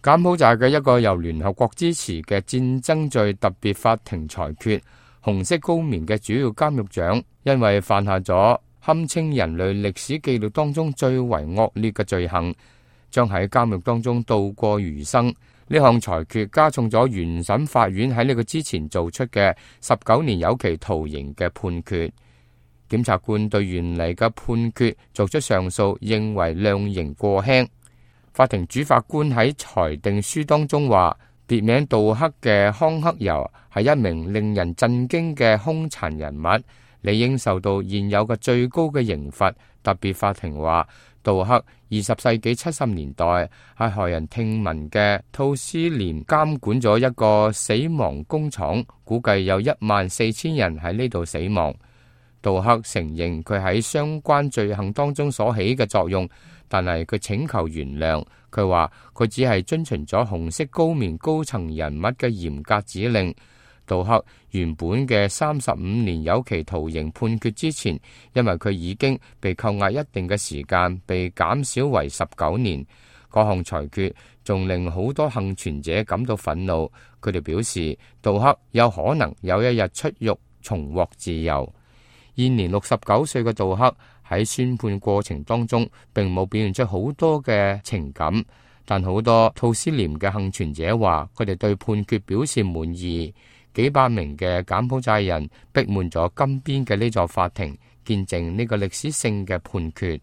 柬埔寨嘅一個由聯合國支持嘅戰爭罪特別法庭裁決，紅色高棉嘅主要監獄長因為犯下咗堪稱人類歷史記錄當中最為惡劣嘅罪行，將喺監獄當中度過餘生。呢項裁決加重咗原審法院喺呢個之前做出嘅19年有期徒刑嘅判決。檢察官對原嚟嘅判決作出上訴，認為量刑過輕。法庭主法官喺裁定書當中話，別名杜克嘅康克尤係一名令人震驚嘅兇殘人物，理應受到現有嘅最高嘅刑罰。特別法庭話，杜克20世紀70年代喺駭人聽聞嘅吐斯廉監管咗一個死亡工廠，估計有14000人喺呢度死亡。杜克承認佢喺相關罪行當中所起嘅作用，但係佢請求原諒。佢話佢只係遵循咗紅色高棉高層人物嘅嚴格指令。杜克原本嘅35年有期徒刑判決之前，因為佢已經被扣押一定嘅時間，被減少為19年。嗰項裁決仲令好多幸存者感到憤怒。佢哋表示，杜克有可能有一日出獄，重獲自由。現年69歲嘅杜克喺宣判過程當中並冇表現出好多嘅情感，但好多吐斯廉嘅幸存者話佢哋對判決表示滿意。幾百名嘅柬埔寨人逼滿咗金邊嘅呢座法庭，見證呢個歷史性嘅判決。